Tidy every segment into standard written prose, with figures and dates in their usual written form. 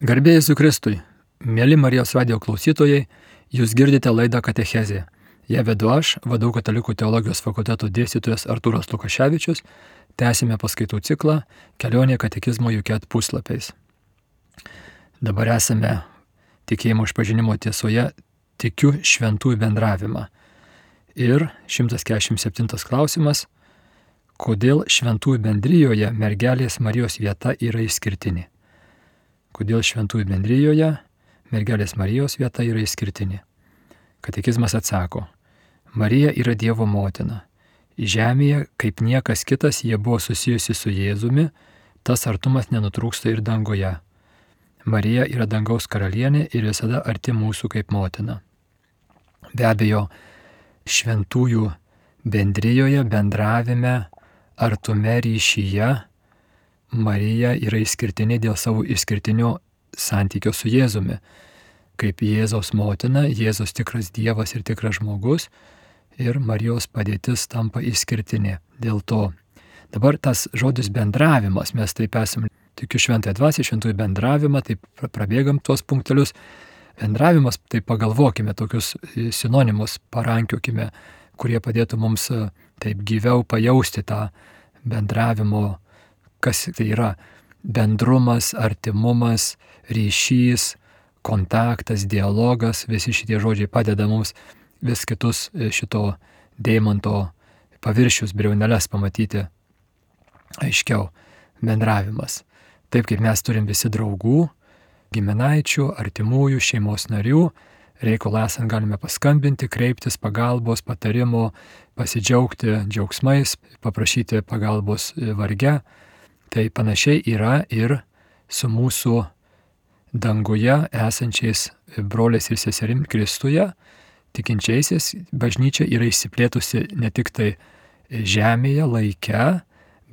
Garbė Jėzui Kristui, mėly Marijos radijo klausytojai, jūs girdite laidą Katechezė. Ją vedu aš, VDU Katalikų teologijos fakulteto dėstytojas Artūras Lukaševičius, tęsime paskaitų ciklą Kelionė katekizmo Juket puslapiais. Dabar esame tikėjimo išpažinimo tiesoje tikiu šventųjų bendravimą. Ir 147 klausimas, kodėl šventųjų bendrijoje mergelės Marijos vieta yra išskirtinė? Kodėl šventųjų bendrijoje mergelės Marijos vieta yra išskirtinė? Katekizmas atsako, Marija yra Dievo motina. Žemėje, kaip niekas kitas, jie buvo susijusi su Jėzumi, tas artumas nenutrūksta ir dangoje. Marija yra dangaus karalienė ir visada arti mūsų kaip motina. Be abejo, šventųjų bendrijoje, bendravime, artume ryšyje, Marija yra išskirtinė dėl savo išskirtinio santykio su Jėzumi. Kaip Jėzaus motina, Jėzus tikras Dievas ir tikras žmogus ir Marijos padėtis tampa išskirtinė. Dėl to dabar tas žodis bendravimas, mes taip esame, tikiu šventąją dvasią, šventųjų bendravimą, taip prabėgam tuos punktelius. Bendravimas, tai pagalvokime, tokius sinonimus parankiokime, kurie padėtų mums taip gyviau pajausti tą bendravimo, kas tai yra bendrumas, artimumas, ryšys, kontaktas, dialogas, visi šitie žodžiai padeda mums vis kitus šito deimanto paviršius, briauneles pamatyti aiškiau. Bendravimas. Taip kaip mes turim visi draugų, giminaičių, artimųjų, šeimos narių, reikalą esant galime paskambinti, kreiptis pagalbos, patarimo, pasidžiaugti džiaugsmais, paprašyti pagalbos varge. Tai panašiai yra ir su mūsų danguje esančiais broliais ir seserim Kristuje, tikinčiaisiais. Bažnyčia yra išsiplėtusi ne tik tai žemėje, laike,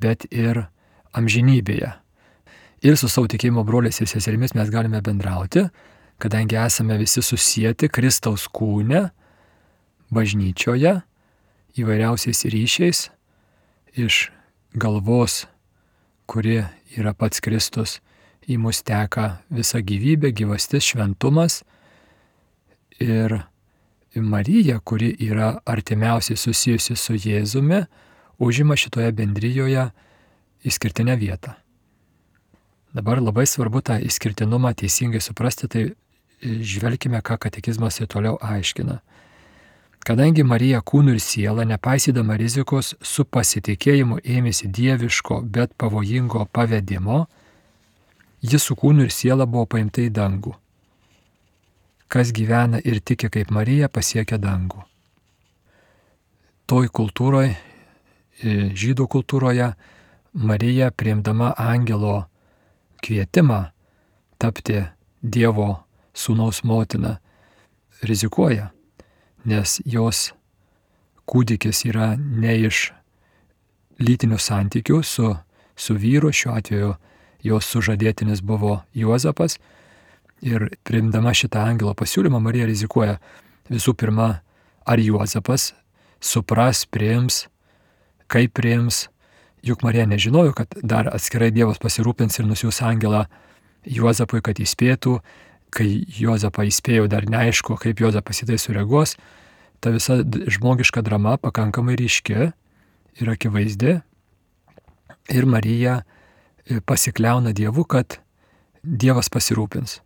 bet ir amžinybėje. Ir su savo tikėjimo broliais ir seserimis mes galime bendrauti, kadangi esame visi susieti Kristaus kūne, bažnyčioje, įvairiausiais ryšiais, iš galvos, kuri yra pats Kristus, į mus teka visa gyvybė, gyvastis, šventumas. Ir Marija, kuri yra artimiausiai susijusi su Jėzumi, užima šitoje bendrijoje išskirtinę vietą. Dabar labai svarbu tą išskirtinumą teisingai suprasti, tai žvelkime, ką katekizmas ir toliau aiškina. Kadangi Marija kūnu ir siela, nepaisydama rizikos, su pasitikėjimu ėmėsi dieviško, bet pavojingo pavedimo, ji su kūnu ir siela buvo paimta į dangų. Kas gyvena ir tiki kaip Marija, pasiekia dangų. Toj kultūroje, žydų kultūroje, Marija, priimdama angelo kvietimą tapti Dievo sūnaus motina, rizikuoja, nes jos kūdikis yra ne iš lytinių santykių su vyru, šiuo atveju jos sužadėtinis buvo Juozapas, ir priimdama šitą angelo pasiūlymą Marija rizikuoja visų pirma, ar Juozapas supras, priims, kaip priims, juk Marija nežinojo, kad dar atskirai Dievas pasirūpins ir nusiųs angelą Juozapui, kad įspėtų. Kai Juozapą įspėjo, dar neaišku, kaip Juozapas į tai sureaguos, ta visa žmogiška drama pakankamai ryški ir akivaizdi. Ir Marija pasikliauna Dievu, kad Dievas pasirūpins.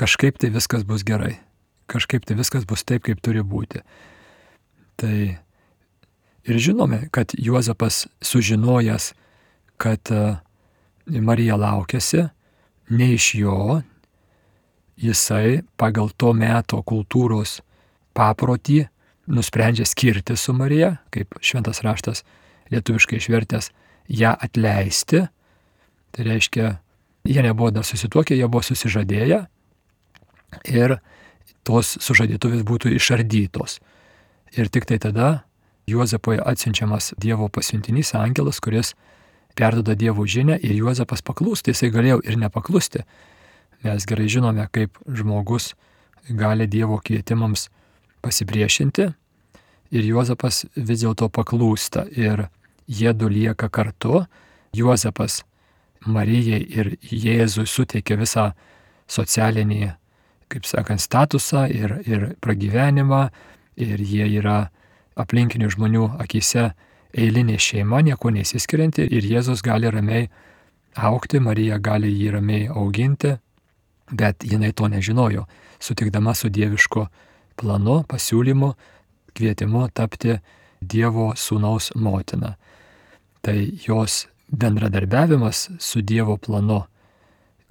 Kažkaip tai viskas bus gerai. Kažkaip tai viskas bus taip, kaip turi būti. Tai ir žinome, kad Juozapas sužinojęs, kad Marija laukiasi, ne iš jo, jisai pagal to meto kultūros paprotį nusprendžia skirti su Marija, kaip šventas raštas lietuviškai išvertęs, ją atleisti. Tai reiškia, jie nebuvo dar susituokę, jie buvo susižadėję ir tos sužadėtuvės būtų išardytos. Ir tik tai tada Juozapui atsiunčiamas Dievo pasiuntinys angelas, kuris perduoda Dievo žinią ir Juozapas paklūsta, jisai galėjo ir nepaklusti. Mes gerai žinome, kaip žmogus gali Dievo kvietimams pasipriešinti ir Juozapas vis dėlto paklūsta ir jie du lieka kartu. Juozapas Marijai ir Jėzui suteikia visą socialinį, kaip sakant, statusą ir pragyvenimą, ir jie yra aplinkinių žmonių akise eilinė šeima, nieko nesiskirianti, ir Jėzus gali ramiai augti, Marija gali jį ramiai auginti, bet jinai to nežinojo, sutikdama su dievišku planu, pasiūlymu, kvietimu tapti Dievo sūnaus motina. Tai jos bendradarbiavimas su Dievo planu,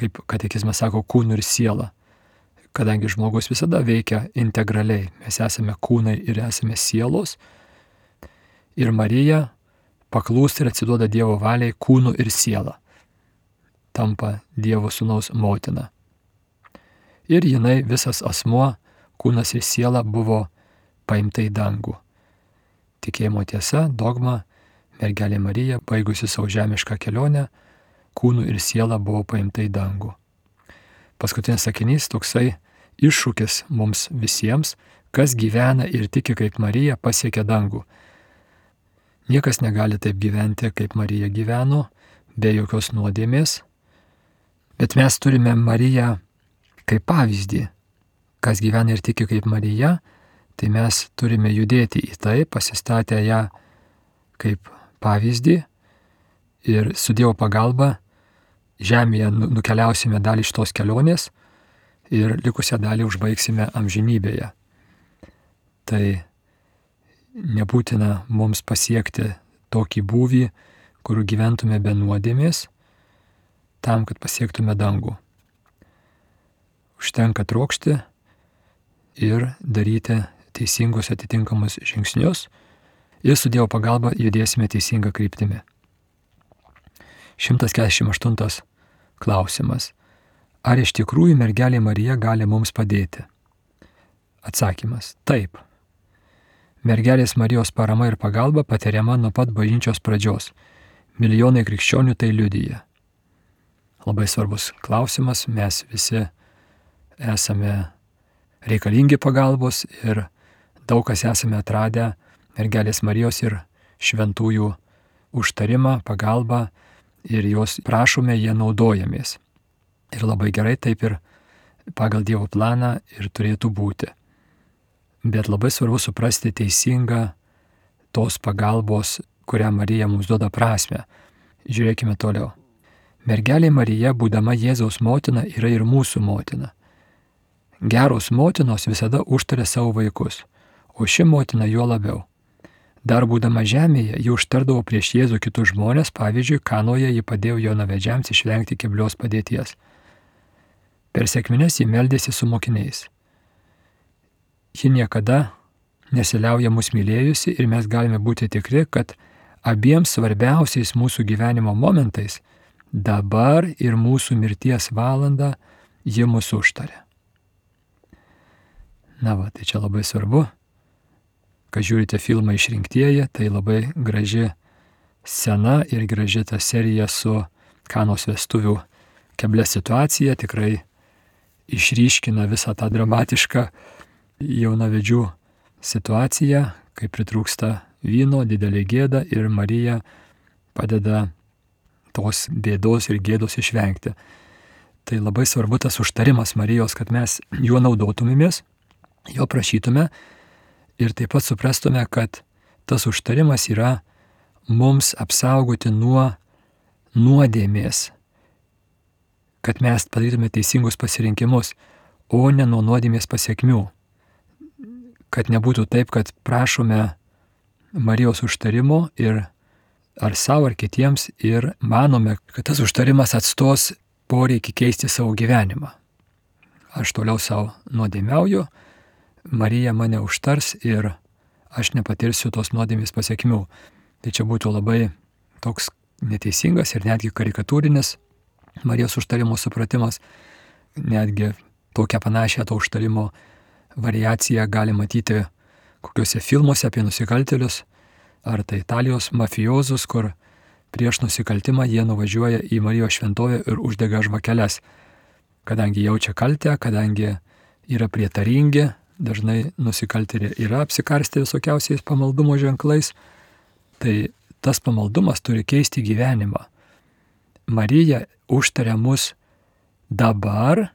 kaip katekizmas sako, kūnu ir siela. Kadangi žmogus visada veikia integraliai, mes esame kūnai ir esame sielos, ir Marija paklūsta ir atsiduoda Dievo valiai kūnu ir siela, tampa Dievo sūnaus motina. Ir jinai, visas asmuo, kūnas ir siela, buvo paimta į dangų. Tikėjimo tiesa, dogma, mergelė Marija, baigusi savo žemišką kelionę, kūnu ir siela buvo paimta į dangų. Paskutinis sakinys toksai iššūkis mums visiems, kas gyvena ir tiki kaip Marija, pasiekia dangų. Niekas negali taip gyventi, kaip Marija gyveno, be jokios nuodėmės, bet mes turime Mariją kaip pavyzdį. Kas gyvena ir tiki kaip Marija, tai mes turime judėti į tai, pasistatę ją kaip pavyzdį, ir su Dievo pagalba žemėje nukeliausime dalį iš tos kelionės ir likusią dalį užbaigsime amžinybėje. Tai nebūtina mums pasiekti tokį būvį, kur gyventume be nuodėmės, tam, kad pasiektume dangų. Užtenka trokšti ir daryti teisingus atitinkamus žingsnius, ir su Dievo pagalba judėsime teisinga kryptimi. 148 klausimas. Ar iš tikrųjų mergelė Marija gali mums padėti? Atsakymas. Taip. Mergelės Marijos parama ir pagalba patiriama nuo pat bažnyčios pradžios. Milijonai krikščionių tai liudija. Labai svarbus klausimas, mes visi esame reikalingi pagalbos ir daug kas esame atradę mergelės Marijos ir šventųjų užtarimą, pagalbą, ir jos prašome, jie naudojamės. Ir labai gerai taip ir pagal Dievo planą ir turėtų būti. Bet labai svarbu suprasti teisingą tos pagalbos, kurią Marija mums duoda prasmę. Žiūrėkime toliau. Mergelė Marija, būdama Jėzaus motina, yra ir mūsų motina. Geros motinos visada užtaria savo vaikus, o ši motina juo labiau. Dar būdama žemėje, ji užtardavo prieš Jėzų kitus žmonės, pavyzdžiui, Kanoje ji padėjo jaunavedžiams išvengti keblios padėties. Per sekmines ji meldėsi su mokiniais. Ji niekada nesiliauja mus mylėjusi ir mes galime būti tikri, kad abiems svarbiausiais mūsų gyvenimo momentais, dabar ir mūsų mirties valanda, ji mus užtarė. Na va, tai čia labai svarbu. Kai žiūrite filmą Išrinktieji, tai labai graži scena ir graži ta serija su Kanos vestuvių keblia situacija, tikrai išryškina visą tą dramatišką jaunavedžių situaciją, kai pritrūksta vyno, didelė gėda ir Marija padeda tos bėdos ir gėdos išvengti. Tai labai svarbu tas užtarimas Marijos, kad mes juo naudotumėmės, jo prašytume, ir taip pat suprastume, kad tas užtarimas yra mums apsaugoti nuo nuodėmės, kad mes padarytume teisingus pasirinkimus, o ne nuo nuodėmės pasiekmių. Kad nebūtų taip, kad prašome Marijos užtarimo ir ar savo, ar kitiems ir manome, kad tas užtarimas atstos poreikį keisti savo gyvenimą. Aš toliau savo nuodėmiauju, Marija mane užtars ir aš nepatirsiu tos nuodėmės pasiekmių. Tai čia būtų labai toks neteisingas ir netgi karikatūrinis Marijos užtarimo supratimas. Netgi tokią panašią to užtarimo variaciją gali matyti kokiuose filmuose apie nusikaltėlius, ar tai Italijos mafiozus, kur prieš nusikaltimą jie nuvažiuoja į Marijos šventovę ir uždega žvakeles. Kadangi jaučia kaltę, kadangi yra prietaringi, dažnai nusikaltėliai yra apsikarstę visokiausiais pamaldumo ženklais, tai tas pamaldumas turi keisti gyvenimą. Marija užtaria mus dabar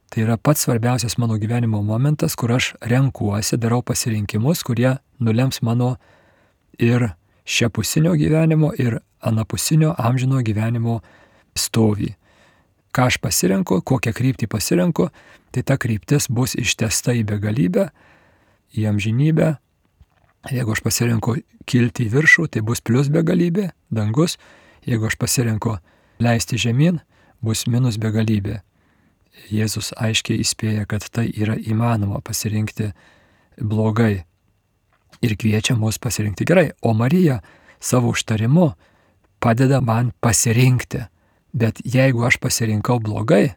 Tai yra pats svarbiausias mano gyvenimo momentas, kur aš renkuosi, darau pasirinkimus, kurie nulems mano ir šiapusinio gyvenimo, ir anapusinio amžino gyvenimo stovį. Ką aš pasirenku, kokią kryptį pasirenku, tai ta kryptis bus ištesta į begalybę, į amžinybę. Jeigu aš pasirenku kilti į viršų, tai bus plius begalybė, dangus. Jeigu aš pasirenku leisti žemyn, bus minus begalybė. Jėzus aiškiai įspėja, kad tai yra įmanoma pasirinkti blogai ir kviečia mus pasirinkti gerai. O Marija savo užtarimu padeda man pasirinkti. Bet jeigu aš pasirinkau blogai,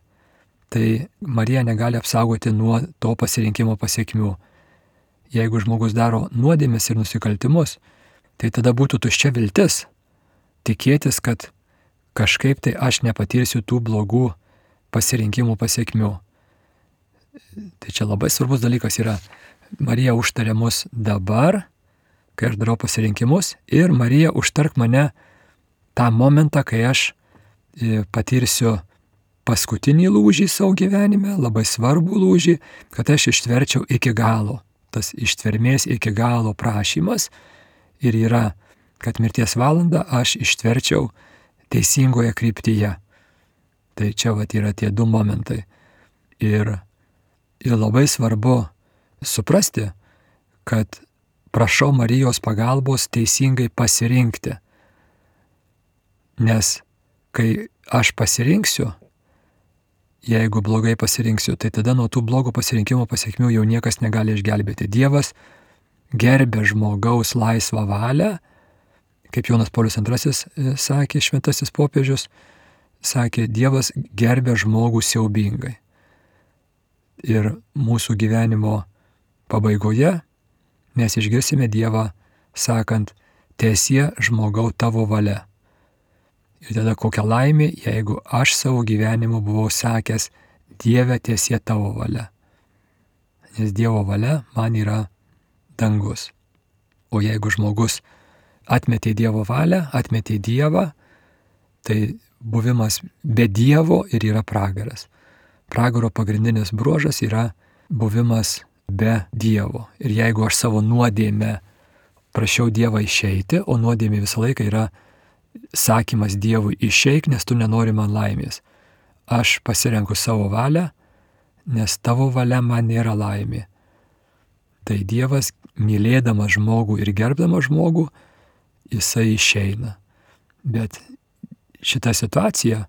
tai Marija negali apsaugoti nuo to pasirinkimo pasekmių. Jeigu žmogus daro nuodėmes ir nusikaltimus, tai tada būtų tuščia viltis tikėtis, kad kažkaip tai aš nepatirsiu tų blogų pasirinkimų pasekmių. Tai čia labai svarbus dalykas yra. Marija užtarė mus dabar, kai aš darau pasirinkimus, ir Marija užtark mane tą momentą, kai aš patirsiu paskutinį lūžį savo gyvenime, labai svarbų lūžį, kad aš ištverčiau iki galo. Tas ištvermės iki galo prašymas ir yra, kad mirties valandą aš ištverčiau teisingoje kryptyje. Tai čia yra tie du momentai. Ir labai svarbu suprasti, kad prašau Marijos pagalbos teisingai pasirinkti. Nes kai aš pasirinksiu, jeigu blogai pasirinksiu, tai tada nuo tų blogų pasirinkimų pasekmių jau niekas negali išgelbėti. Dievas gerbė žmogaus laisvą valią, kaip Jonas Paulius II sakė, šventasis popiežius, sakė, Dievas gerbė žmogų siaubingai. Ir mūsų gyvenimo pabaigoje mes išgirsime Dievą sakant, tiesie žmogau tavo valia. Ir tada kokia laimė, jeigu aš savo gyvenimu buvau sakęs, Dieve tiesie tavo valia. Nes Dievo valia man yra dangus. O jeigu žmogus atmetė Dievo valią, atmetė Dievą, tai buvimas be Dievo ir yra pragaras. Pragaro pagrindinis bruožas yra buvimas be Dievo. Ir jeigu aš savo nuodėmę prašiau Dievą išeiti, o nuodėmė visą laiką yra sakymas Dievui išeik, nes tu nenori man laimės. Aš pasirenku savo valią, nes tavo valia man nėra laimė. Tai Dievas, mylėdamas žmogų ir gerbdamas žmogų, jisai išeina. Bet šita situacija,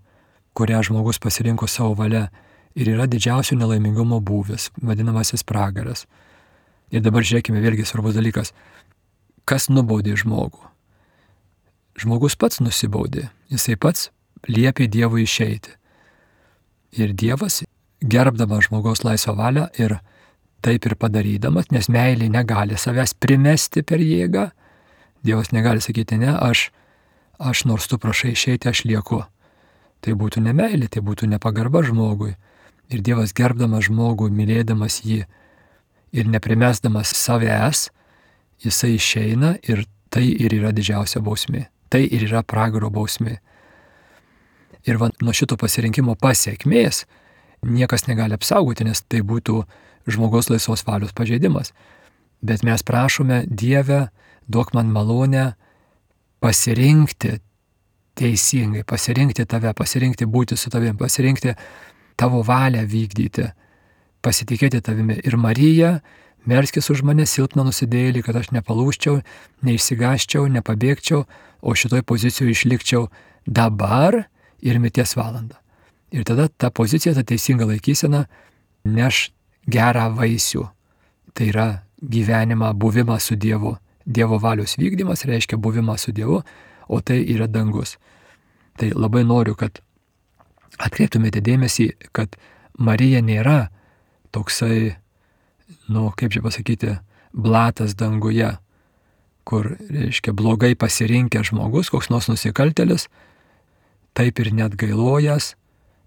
kurią žmogus pasirinko savo valia, ir yra didžiausio nelaimingumo būvis, vadinamasis pragaras. Ir dabar žiūrėkime, vėlgi svarbus dalykas. Kas nubaudė žmogų? Žmogus pats nusibaudė, jisai pats liepė Dievui išeiti. Ir Dievas, gerbdamas žmogaus laisvą valią ir taip ir padarydamas, nes meilė negali savęs primesti per jėgą, Dievas negali sakyti, ne, aš nors tu prašai išeiti, aš lieku. Tai būtų ne meilė, tai būtų nepagarba žmogui. Ir Dievas gerbdamas žmogų, mylėdamas jį ir neprimesdamas savęs, jisai išeina ir tai ir yra didžiausia bausmė. Tai ir yra pragaro bausmė. Ir nuo šito pasirinkimo pasiekmės niekas negali apsaugoti, nes tai būtų žmogaus laisvos valios pažeidimas. Bet mes prašome, Dieve, duok man malonę pasirinkti teisingai, pasirinkti tave, pasirinkti būti su tavim, pasirinkti tavo valią vykdyti, pasitikėti tavimi. Ir Marija, melskis už mane silpną nusidėjėlį, kad aš nepalūžčiau, neišsigąsčiau, nepabėgčiau, o šitoj pozicijoje išlikčiau dabar ir mirties valandą. Ir tada ta pozicija, ta teisinga laikysena neš gerą vaisių. Tai yra gyvenimą, buvimą su Dievu. Dievo valios vykdymas reiškia buvimą su Dievu, o tai yra dangus. Tai labai noriu, kad atkreiptumėte dėmesį, kad Marija nėra toksai, kaip čia pasakyti, blatas danguje, kur, reiškia, blogai pasirinkęs žmogus, koks nors nusikaltėlis, taip ir net gailojęs,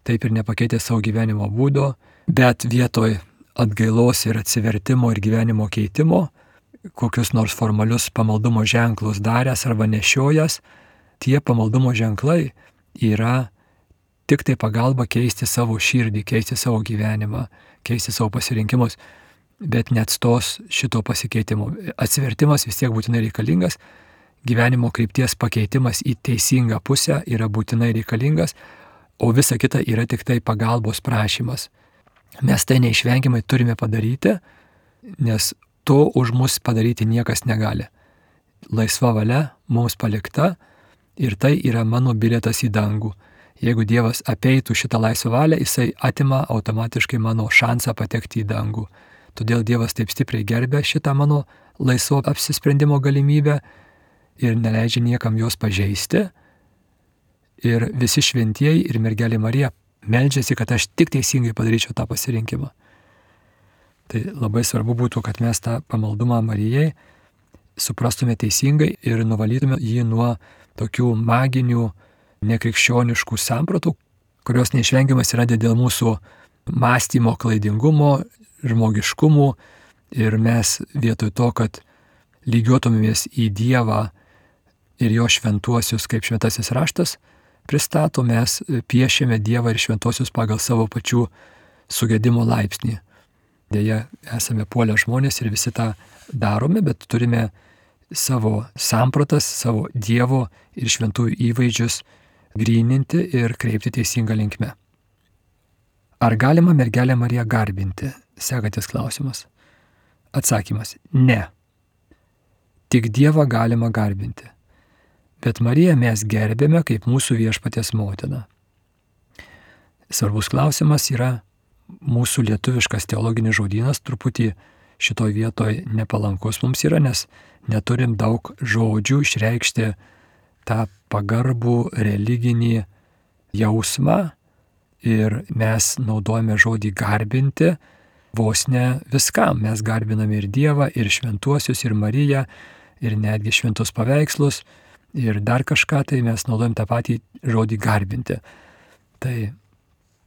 taip ir nepakeitęs savo gyvenimo būdo, bet vietoj atgailos ir atsivertimo ir gyvenimo keitimo, kokius nors formalius pamaldumo ženklus daręs arba nešiojęs, tie pamaldumo ženklai yra tik tai pagalba keisti savo širdį, keisti savo gyvenimą, keisti savo pasirinkimus, bet neatstos šito pasikeitimo. Atsivertimas vis tiek būtinai reikalingas, gyvenimo krypties pakeitimas į teisingą pusę yra būtinai reikalingas, o visa kita yra tik tai pagalbos prašymas. Mes tai neišvengiamai turime padaryti, nes to už mus padaryti niekas negali. Laisva valia mums palikta ir tai yra mano bilietas į dangų. Jeigu Dievas apeitų šitą laisvą valią, jisai atima automatiškai mano šansą patekti į dangų. Todėl Dievas taip stipriai gerbia šitą mano laisvo apsisprendimo galimybę ir neleidžia niekam jos pažeisti. Ir visi šventieji ir mergelė Marija meldžiasi, kad aš tik teisingai padaryčiau tą pasirinkimą. Tai labai svarbu būtų, kad mes tą pamaldumą Marijai suprastume teisingai ir nuvalytume jį nuo tokių maginių, nekrikščioniškų sampratų, kurios neišvengiamas yra dėl mūsų mąstymo klaidingumo, žmogiškumų ir mes vietoj to, kad lygiuotumėmės į Dievą ir jo šventuosius, kaip šventasis raštas pristato, mes piešiame Dievą ir šventuosius pagal savo pačių sugedimo laipsnį. Deja, esame puolę žmonės ir visi tą darome, bet turime savo sampratas, savo Dievo ir šventųjų įvaizdžius gryninti ir kreipti teisingą linkmę. Ar galima mergelę Mariją garbinti? Sekantis klausimas. Atsakymas – ne. Tik Dievą galima garbinti. Bet Mariją mes gerbėme kaip mūsų viešpaties motiną. Svarbus klausimas yra mūsų lietuviškas teologinis žodynas, truputį šitoj vietoj nepalankus mums yra, nes neturim daug žodžių išreikšti tą pagarbų religinį jausmą ir mes naudojame žodį garbinti vos ne viskam. Mes garbiname ir Dievą, ir šventuosius, ir Mariją, ir netgi šventus paveikslus, ir dar kažką, tai mes naudojam tą patį žodį garbinti. Tai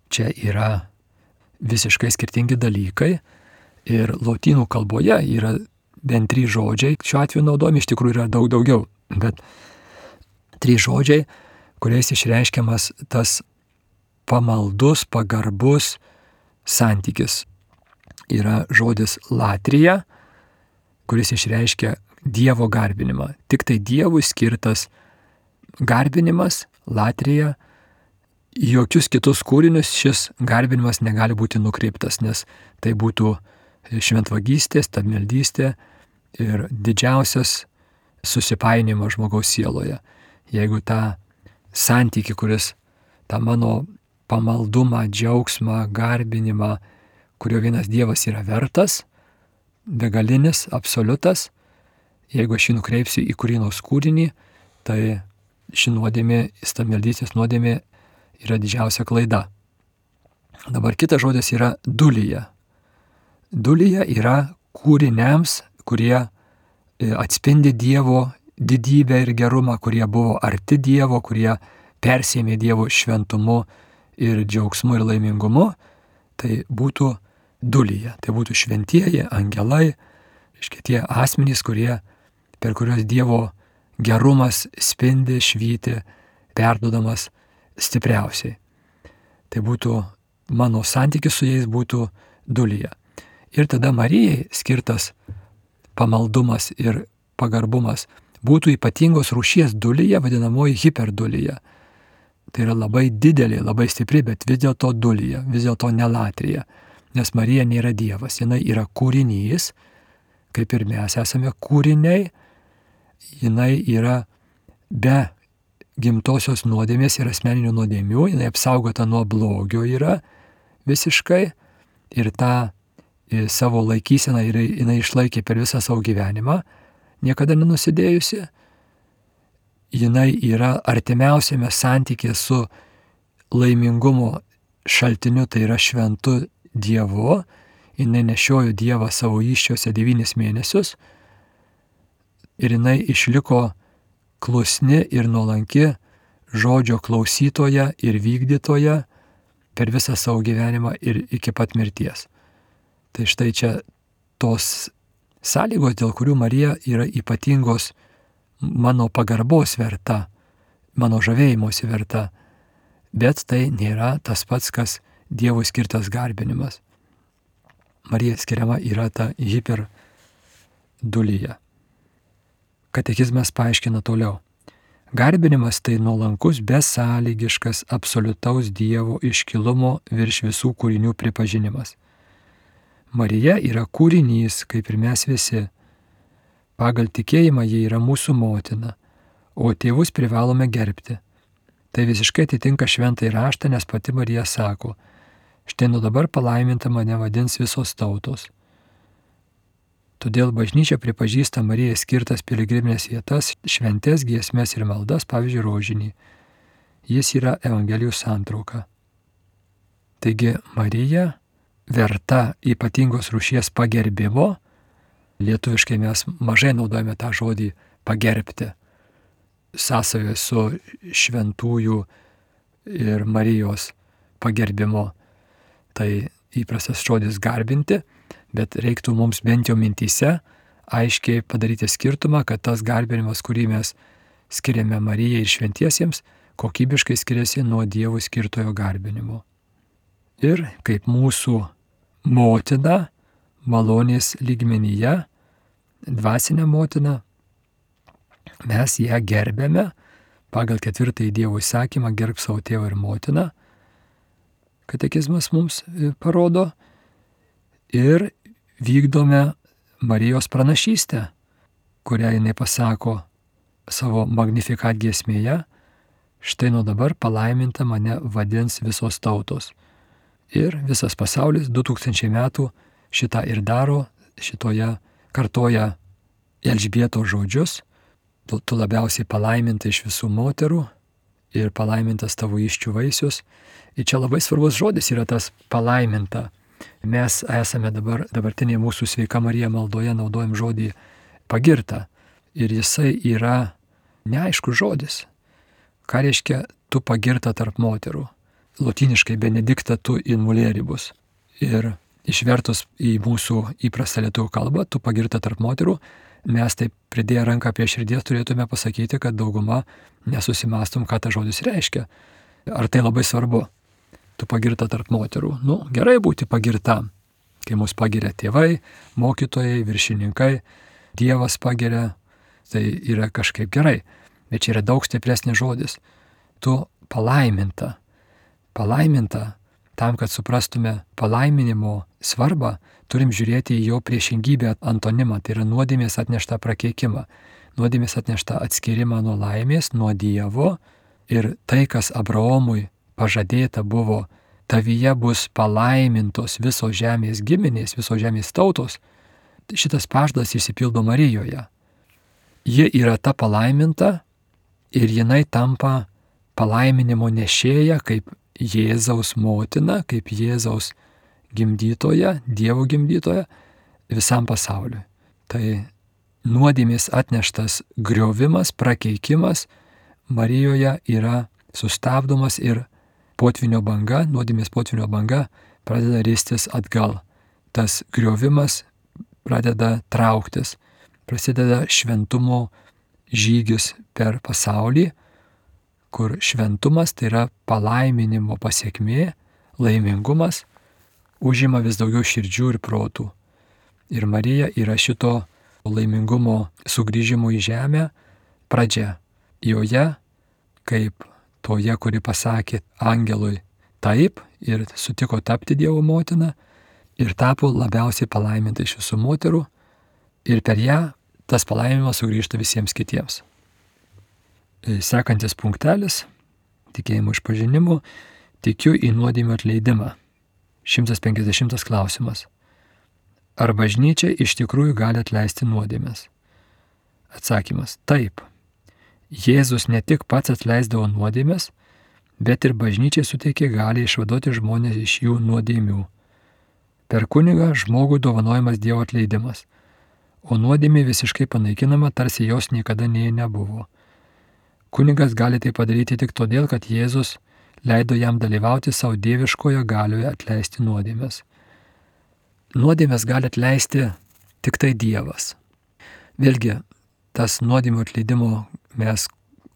čia yra visiškai skirtingi dalykai ir lotynų kalboje yra bent 3 žodžiai, šiuo atveju naudojami, iš tikrųjų yra daug daugiau, bet 3 žodžiai, kuriais išreiškiamas tas pamaldus, pagarbus santykis. Yra žodis latrija, kuris išreiškia Dievo garbinimą. Tik tai Dievui skirtas garbinimas, latrija. Į jokius kitus kūrinius šis garbinimas negali būti nukreiptas, nes tai būtų šventvagystė, stabmeldystė ir didžiausias susipainimas žmogaus sieloje. Jeigu tą santykį, kuris tą mano pamaldumą, džiaugsmą, garbinimą, kurio vienas Dievas yra vertas, begalinis, absoliutas, jeigu aš jį nukreipsiu į kurį nors kūrinį, tai ši nuodėmė, stabmeldystės nuodėmė yra didžiausia klaida. Dabar kitas žodis yra dulija. Dulija yra kūriniams, kurie atspindi Dievo didybę ir gerumą, kurie buvo arti Dievo, kurie persėmė Dievo šventumu ir džiaugsmu ir laimingumu. Tai būtų dulija. Tai būtų šventieji, angelai, tie asmenys, per kuriuos Dievo gerumas spindi, švyti, perduodamas stipriausiai. Tai būtų mano santykis su jais būtų dulija. Ir tada Marijai skirtas pamaldumas ir pagarbumas būtų ypatingos rūšies dulija, vadinamoji hiperdulija. Tai yra labai didelė, labai stipri, bet vis dėlto dulija, vis dėlto ne latrija. Nes Marija nėra Dievas, jinai yra kūrinys, kaip ir mes esame kūriniai, jinai yra be gimtosios nuodėmės ir asmeninių nuodėmių, jinai apsaugota nuo blogio yra visiškai ir tą savo laikyseną jinai išlaikė per visą savo gyvenimą, niekada nenusidėjusi. Jinai yra artimiausiame santykė su laimingumo šaltiniu, tai yra šventu Dievu. Jinai nešiojo Dievą savo įsčiose 9 mėnesius ir jinai išliko klusni ir nuolanki žodžio klausytoja ir vykdytoja per visą savo gyvenimą ir iki pat mirties. Tai štai čia tos sąlygos, dėl kurių Marija yra ypatingos mano pagarbos verta, mano žavėjimosi verta. bet tai nėra tas pats, kas Dievui skirtas garbinimas. Marija skiriama yra ta hiperdulyje. Katekizmas paaiškina toliau. Garbinimas tai nuolankus, besąlygiškas, absoliutaus Dievo iškilumo virš visų kūrinių pripažinimas. Marija yra kūrinys, kaip ir mes visi. Pagal tikėjimą ji yra mūsų motina, o tėvus privalome gerbti. Tai visiškai atitinka šventąjį raštą, nes pati Marija sako, štai nuo dabar palaiminta mane vadins visos tautos. Todėl bažnyčia pripažįsta Marijai skirtas piligriminės vietas, šventes, giesmes ir maldas, pavyzdžiui, rožinį. Jis yra Evangelijų santrauka. Taigi Marija verta ypatingos rūšies pagerbimo. Lietuviškai mes mažai naudojame tą žodį pagerbti. Sąsajoje su šventųjų ir Marijos pagerbimo. Tai įprastas žodis garbinti, bet reiktų mums bent jau mintyse aiškiai padaryti skirtumą, kad tas garbinimas, kurį mes skiriame Marijai ir šventiesiems, kokybiškai skiriasi nuo Dievui skirtojo garbinimo. Ir kaip mūsų motina malonės lygmenyje, dvasinė motina, mes ją gerbėme pagal 4 Dievo įsakymą gerb savo tėvą ir motiną. Katekizmas mums parodo ir vykdome Marijos pranašystę, kurią jinai pasako savo Magnificat giesmėje, štai nuo dabar palaiminta mane vadins visos tautos. Ir visas pasaulis 2000 metų šitą ir daro, šitoje kartoja Elžbietos žodžius, tu labiausiai palaiminta iš visų moterų ir palaimintas tavo įsčių vaisius. Ir čia labai svarbus žodis yra tas palaiminta. Mes esame dabartinėje mūsų Sveika Marija maldoje naudojam žodį pagirta. Ir jisai yra neaiškus žodis. Ką reiškia tu pagirta tarp moterų? Lotyniškai benedikta tu in mulieribus. Ir išvertus į mūsų įprastą lietuvių kalbą, tu pagirta tarp moterų, mes taip pridėję ranką prie širdies turėtume pasakyti, kad dauguma nesusimastom, ką tas žodis reiškia. Ar tai labai svarbu? Tu pagirta tarp moterų. Gerai būti pagirtam. Kai mus pagiria tėvai, mokytojai, viršininkai, Dievas pagiria, tai yra kažkaip gerai. Bet čia yra daug stipresnis žodis. Tu palaiminta. Palaiminta, tam, kad suprastume palaiminimo svarbą, turim žiūrėti į jo priešingybę, antonimą, tai yra nuodėmės atneštą prakeikimą, nuodėmės atneštą atskirimą nuo laimės, nuo Dievo, ir tai, kas Abraomui pažadėta buvo, tavyje bus palaimintos visos žemės giminės, visos žemės tautos, šitas pažadas išsipildo Marijoje. Ji yra ta palaiminta ir jinai tampa palaiminimo nešėja kaip Jėzaus motina, kaip Jėzaus gimdytoja, Dievo gimdytoja visam pasauliui. Tai nuodėmės atneštas griovimas, prakeikimas Marijoje yra sustabdomas ir potvynio banga, nuodėmės potvynio banga pradeda ristis atgal. Tas griovimas pradeda trauktis, prasideda šventumo žygis per pasaulį, kur šventumas, tai yra palaiminimo pasiekmė, laimingumas, užima vis daugiau širdžių ir protų. Ir Marija yra šito laimingumo sugrįžimo į žemę pradžia. Joje, kaip toje, kuri pasakė angelui taip ir sutiko tapti Dievo motina ir tapo labiausiai palaiminta iš visų moterų, ir per ją tas palaiminimas sugrįžta visiems kitiems. Sekantis punktelis, tikėjimo išpažinimu, tikiu į nuodėmių atleidimą. 150 klausimas. Ar bažnyčia iš tikrųjų gali atleisti nuodėmes? Atsakymas. Taip. Jėzus ne tik pats atleisdavo nuodėmes, bet ir bažnyčiai suteikė gali išvaduoti žmonės iš jų nuodėmių. Per kunigą žmogui dovanojamas Dievo atleidimas, o nuodėmė visiškai panaikinama, tarsi jos niekada nebuvo. Kunigas gali tai padaryti tik todėl, kad Jėzus leido jam dalyvauti savo dieviškoje galioje atleisti nuodėmes. Nuodėmes gali atleisti tik tai Dievas. Vėlgi, tas nuodėmių atleidimo mes,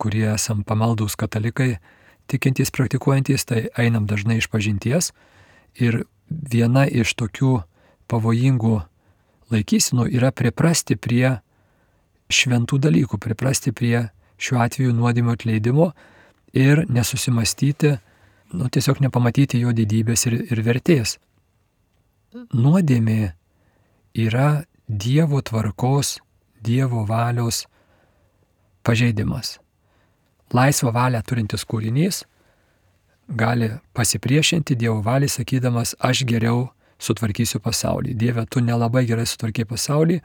kurie esam pamaldūs katalikai, tikintys, praktikuojantys, tai einam dažnai iš pažinties. Ir viena iš tokių pavojingų laikysinų yra priprasti prie šventų dalykų, priprasti prie šiuo atveju nuodėmių atleidimo ir nesusimastyti, tiesiog nepamatyti jo didybės ir vertės. Nuodėmė yra Dievo tvarkos, Dievo valios pažeidimas. Laisvą valią turintis kūrinys gali pasipriešinti Dievo valiai, sakydamas, aš geriau sutvarkysiu pasaulį. Dieve, tu nelabai gerai sutvarkiai pasaulį,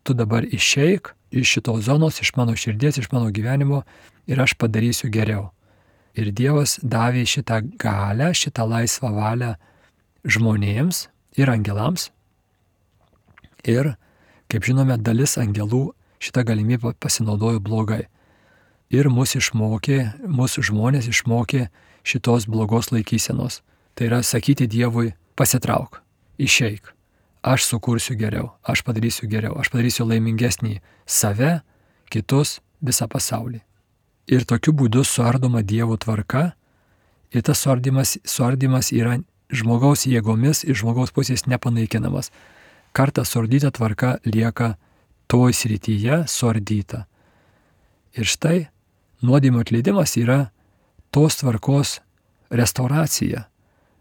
tu dabar išeik iš šitos zonos, iš mano širdies, iš mano gyvenimo ir aš padarysiu geriau. Ir Dievas davė šitą galią, šitą laisvą valią žmonėms ir angelams. Ir, kaip žinome, dalis angelų šitą galimybę pasinaudojo blogai. Ir mūsų žmonės išmokė šitos blogos laikysenos. Tai yra sakyti Dievui, pasitrauk, išeik, aš sukursiu geriau, aš padarysiu laimingesnį save, kitus, visą pasaulį. Ir tokiu būdu suardoma Dievo tvarka ir tas suardymas yra žmogaus jėgomis iš žmogaus pusės nepanaikinamas. Kartą suardyta tvarka lieka toj srityje suardyta. Ir štai nuodėmių atleidimas yra tos tvarkos restauracija,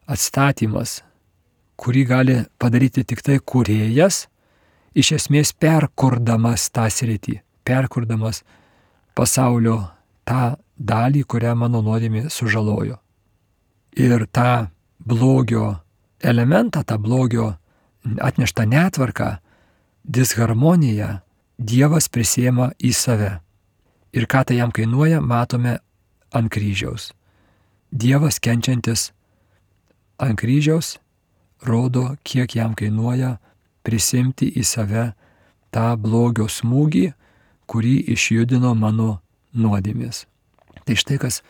atstatymas, kurį gali padaryti tik tai kūrėjas, iš esmės perkurdamas tą sritį, perkurdamas pasaulio tą dalį, kurią mano nuodėmė sužalojo. Ir tą blogio elementą, tą blogio atneštą netvarką, disharmoniją Dievas prisiema į save. Ir ką tai jam kainuoja, matome ant kryžiaus. Dievas kenčiantis ant kryžiaus rodo, kiek jam kainuoja prisimti į save tą blogio smūgį, kurį išjudino mano nuodėmės. Tai štai kas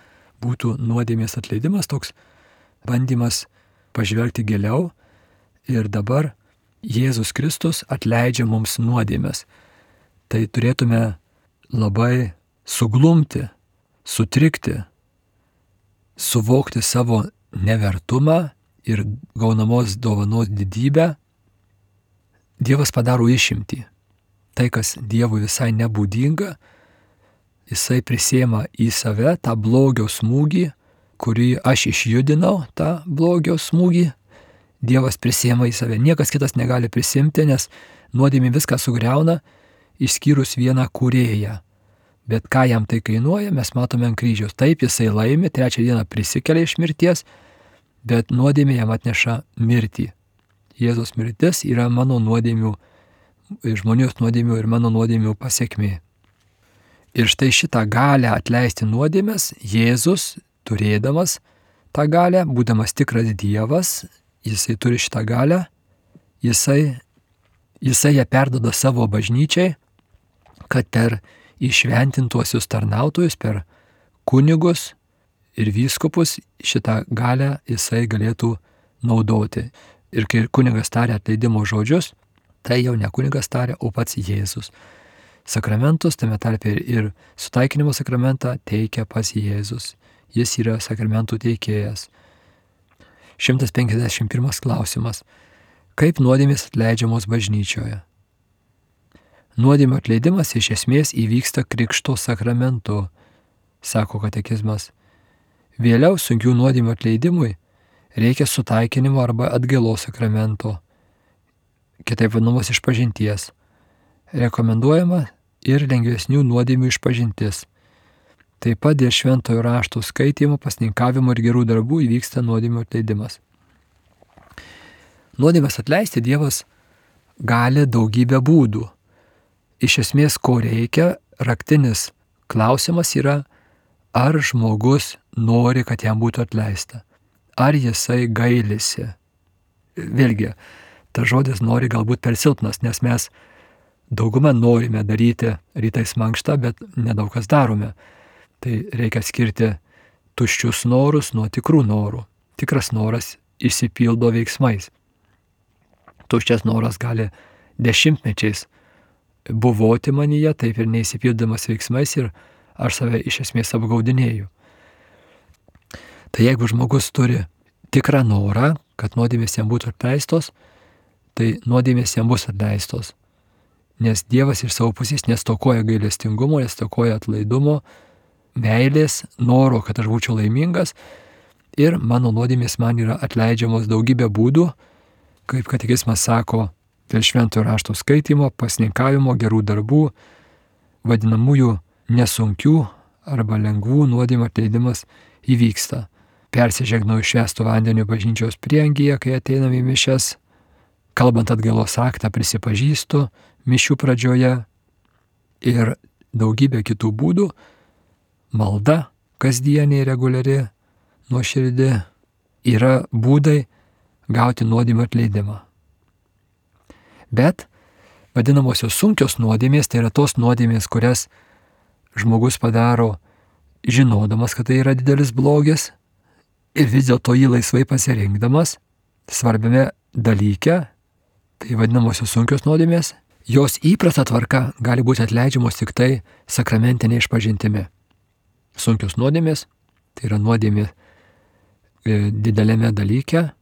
būtų nuodėmės atleidimas, toks bandymas pažvelgti giliau. Ir dabar Jėzus Kristus atleidžia mums nuodėmės. Tai turėtume labai suglumti, sutrikti, suvokti savo nevertumą ir gaunamos dovanos didybę. Dievas padaro išimtį. Tai, kas Dievui visai nebūdinga, jisai prisiema į save tą blogio smūgį, kurį aš išjudinau, tą blogio smūgį. Dievas prisiema į save. Niekas kitas negali prisimti, nes nuodėmė viską sugriauna, išskyrus vieną kūrėją. Bet ką jam tai kainuoja, mes matome ant kryžiaus. Taip, jisai laimi, 3 dieną prisikelia iš mirties, bet nuodėmė jam atneša mirtį. Jėzaus mirtis yra mano nuodėmių, žmonijos nuodėmių ir mano nuodėmių pasiekmė. Ir štai šitą galę atleisti nuodėmes Jėzus, turėdamas tą galę, būdamas tikras Dievas, jisai turi šitą galę, jisai ją perduoda savo bažnyčiai, kad per įšventintuosius tarnautojus, per kunigus ir vyskupus šitą galę jisai galėtų naudoti. Ir kai kunigas taria atleidimo žodžius, tai jau ne kunigas taria, o pats Jėzus. Sakramentus, tame tarpe ir sutaikinimo sakramentą teikia pats Jėzus. Jis yra sakramentų teikėjas. 151 klausimas. Kaip nuodėmės atleidžiamos bažnyčioje? Nuodėmių atleidimas iš esmės įvyksta krikšto sakramentu, sako katekizmas. Vėliau sunkių nuodėmių atleidimui reikia sutaikinimo arba atgailos sakramento, kitaip vadinamos išpažinties. Rekomenduojama ir lengvesnių nuodėmių išpažintis. Taip pat dėl šventojo rašto skaitymo, pasninkavimo ir gerų darbų įvyksta nuodėmių atleidimas. Nuodėmės atleisti Dievas gali daugybę būdų. Iš esmės, ko reikia, raktinis klausimas yra, ar žmogus nori, kad jam būtų atleista. Ar jisai gailisi. Vėlgi, tas žodis nori galbūt per silpnas, nes mes daugumą norime daryti rytais mankštą, bet nedaug kas darome. Tai reikia skirti tuščius norus nuo tikrų norų. Tikras noras išsipildo veiksmais. Tuščias noras gali dešimtmečiais buvoti manyje, taip ir neįsipildamas veiksmais ir aš save iš esmės apgaudinėju. Tai jeigu žmogus turi tikrą norą, kad nuodėmės jam būtų atleistos, tai nuodėmės jam bus atleistos. Nes Dievas iš savo pusės nestokoja gailestingumo, nestokoja atlaidumo, meilės, noro, kad aš būčiau laimingas ir mano nuodėmės man yra atleidžiamos daugybė būdų, kaip katekizmas sako, dėl šventojo rašto skaitymo, pasninkavimo, gerų darbų, vadinamųjų nesunkių arba lengvų nuodėmių atleidimas įvyksta. Persižegnoju švęstu vandeniu bažnyčios prieangyje, kai ateinam į mišias, kalbant atgailos aktą prisipažįstu mišių pradžioje ir daugybė kitų būdų, malda kasdieniai reguliari, nuoširdi yra būdai gauti nuodėmių atleidimą. Bet vadinamosios sunkios nuodėmės, tai yra tos nuodėmės, kurias žmogus padaro žinodamas, kad tai yra didelis blogis ir vis dėlto jį laisvai pasirinkdamas svarbiame dalyke, tai vadinamosios sunkios nuodėmės, jos įprasta tvarka gali būti atleidžiamos tik tai sakramentinė išpažintimi. Sunkios nuodėmės, tai yra nuodėmė didelėme dalyke,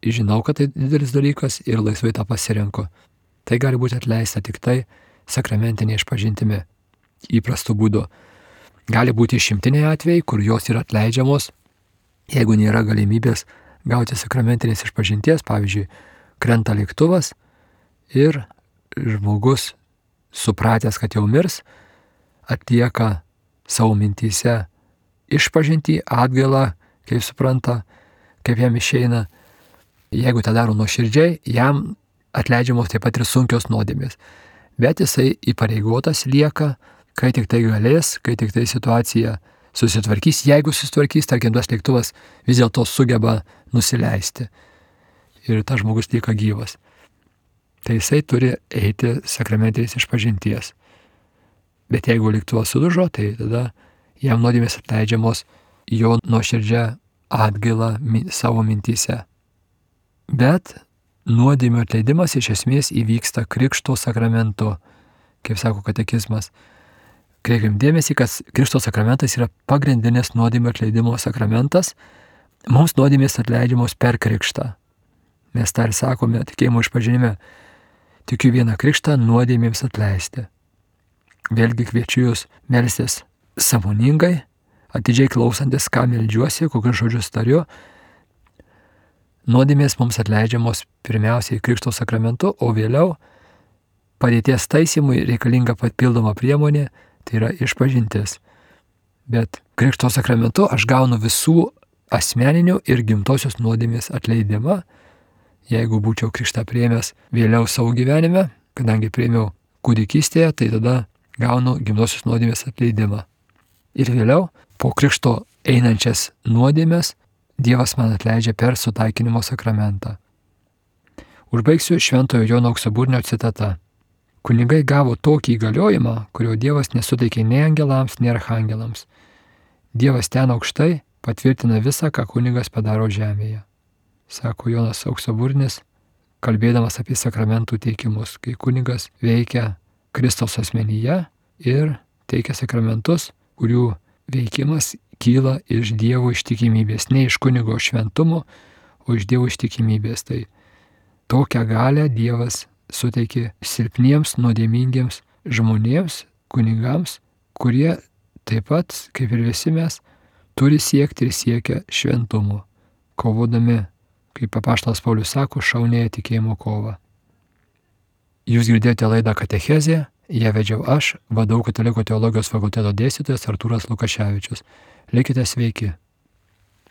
žinau, kad tai didelis dalykas ir laisvai tą pasirenku. Tai gali būti atleista tik tai sakramentinė išpažintimi, įprastu būdu. Gali būti išimtiniai atvejai, kur jos yra atleidžiamos, jeigu nėra galimybės gauti sakramentinės išpažinties, pavyzdžiui, krenta lėktuvas ir žmogus, supratęs, kad jau mirs, atlieka savo mintyse išpažintį, atgailą, kaip supranta, kaip jam išeina. Jeigu tą daro nuoširdžiai, jam atleidžiamos taip pat ir sunkios nuodėmės. Bet jisai įpareigotas lieka, kai tik tai galės, kai tik tai situacija susitvarkys. Jeigu susitvarkys, tarkim, tas lėktuvas vis dėlto sugeba nusileisti. Ir tas žmogus lieka gyvas. Tai jisai turi eiti sakramentinės išpažinties. Bet jeigu lėktuvas sudužo, tai tada jam nuodėmės atleidžiamos jo nuoširdžia atgaila savo mintyse. Bet nuodėmių atleidimas iš esmės įvyksta Krikšto sakramentu, kaip sako katekizmas. Kreipim dėmesį, kad Krikšto sakramentas yra pagrindinis nuodėmių atleidimo sakramentas. Mums nuodėmės atleidžiamos per Krikštą. Mes tą ir sakome tikėjimo išpažinime. Tikiu vieną Krikštą nuodėmėms atleisti. Vėlgi kviečiu jūs melstis sąmoningai, atidžiai klausantis, ką meldžiuosi, kokius žodžius tariu. Nuodėmės mums atleidžiamos pirmiausiai Krikšto sakramentu, o vėliau padėties taisymui reikalinga papildoma priemonė, tai yra išpažintis. Bet Krikšto sakramentu aš gaunu visų asmeninių ir gimtosios nuodėmės atleidimą. Jeigu būčiau krikštą priėmęs vėliau savo gyvenime, kadangi priėmiau kūdikystėje, tai tada gaunu gimtosios nuodėmės atleidimą. Ir vėliau po krikšto einančias nuodėmės Dievas man atleidžia per sutaikinimo sakramentą. Užbaigsiu Šventojo Jono Auksaburnio citata. Kunigai gavo tokį įgaliojimą, kurio Dievas nesuteikė nei angelams, nei archangelams. Dievas ten aukštai patvirtina visą, ką kunigas padaro žemėje. Sako Jonas Auksaburnis, kalbėdamas apie sakramentų teikimus, kai kunigas veikia Kristaus asmenyje ir teikia sakramentus, kurių veikimas kyla iš Dievo ištikimybės, ne iš kunigo šventumo, o iš Dievo ištikimybės. Tai tokią galią Dievas suteikė silpniems, nuodėmingiems žmonėms, kunigams, kurie taip pat, kaip ir visi mes, turi siekti ir siekia šventumo, kovodami, kaip apaštalas Paulius sako, šaunėje tikėjimo kovą. Jūs girdėjote laidą Katechezė, ją vedžiau aš, VDU Katalikų teologijos fakulteto dėstytojas Artūras Lukaševičius. Likite sveiki.